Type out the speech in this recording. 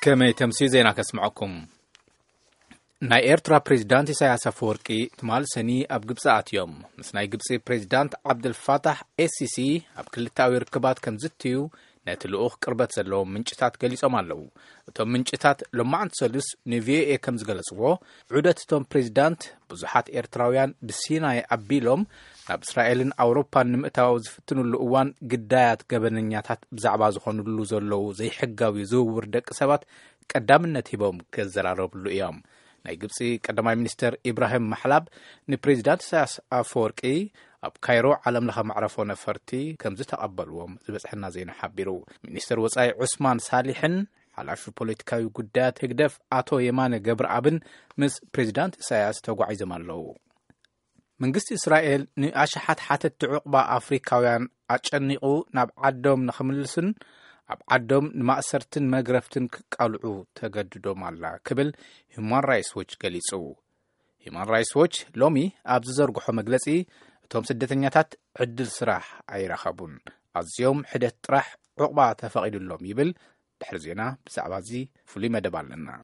ከመይ ተምሲ ዜና ከስምዐኩም። ናይ ኤርትራ ፕሬዚዳንት ኢሳያስ ኣፈወርቂ ትማል ሰኒ ኣብ ግብፂ ኣትዮም። ምስ ናይ ግብፂ ፕሬዚዳንት ዓብደልፋታሕ ኤሲሲ ኣብ ክልታዊ ርክባት ከም ዝትዩ ነቲ ልኡኽ ቅርበት ዘለዎም ምንጭታት ገሊጾም ኣለዉ። እቶም ምንጭታት ሎማዓንቲ ሰሉስ ንቪኦኤ ከም ዝገለጽዎ፣ ዑደት እቶም ፕሬዚዳንት ብዙሓት ኤርትራውያን ብሲናይ ኣቢሎም ናብ እስራኤልን ኣውሮፓን ንምእታው ዝፍትኑሉ እዋን፣ ግዳያት ገበነኛታት ብዛዕባ ዝኾኑሉ ዘለዉ ዘይሕጋዊ ዝውውር ደቂ ሰባት ቀዳምነት ሂቦም ክዘራረብሉ እዮም። ናይ ግብፂ ቀዳማይ ሚኒስተር ኢብራሂም ማሕላብ ንፕሬዚዳንት ኢሳያስ ኣፈወርቂ ኣብ ካይሮ ዓለም ለኸ መዕረፎ ነፈርቲ ከም ዝተቐበልዎም ዝበፅሐና ዜና ሓቢሩ። ሚኒስተር ወፃኢ ዑስማን ሳሊሕን ሓላፊ ፖለቲካዊ ጉዳያት ህግደፍ ኣቶ የማነ ገብረኣብን ምስ ፕሬዚዳንት ኢሳያስ ተጓዒዞም ኣለዉ። መንግስቲ እስራኤል ንኣሽሓት ሓተትቲ ዕቑባ ኣፍሪካውያን ኣጨኒቑ ናብ ዓዶም ንኽምልሱን ኣብ ዓዶም ንማእሰርትን መግረፍትን ክቃልዑ ተገድዶም ኣላ ክብል ሁማን ራይትስ ዎች ገሊጹ። ሁማን ራይትስ ዎች ሎሚ ኣብ ዝዘርግሖ መግለጺ፣ እቶም ስደተኛታት ዕድል ስራሕ ኣይረኸቡን፣ ኣዝዮም ሕደት ጥራሕ ዕቑባ ተፈቒዱሎም ይብል። ድሕሪ ዜና ብዛዕባ እዚ ፍሉይ መደብ ኣለና።